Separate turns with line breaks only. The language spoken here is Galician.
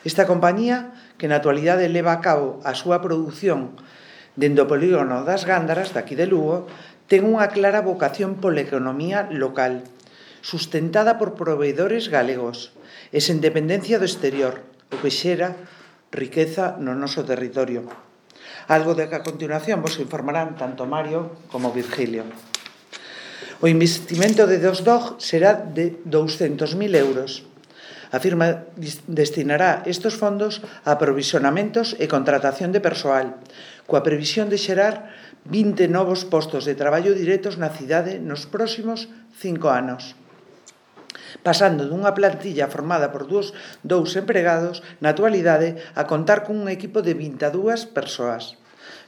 Esta compañía, que na actualidade leva a cabo a súa produción dende o polígono das Gándaras, daqui de Lugo, ten unha clara vocación pola economía local, sustentada por proveedores galegos e sen dependencia do exterior, o que xera riqueza no noso territorio. Algo de que a continuación vos informarán tanto Mario como Virgilio. O investimento de Dosdog será de 200.000 euros. A firma destinará estes fondos a aprovisionamentos e contratación de persoal, coa previsión de xerar 20 novos postos de traballo directos na cidade nos próximos 5 anos, pasando dunha plantilla formada por dous empregados na actualidade a contar cun equipo de 22 persoas.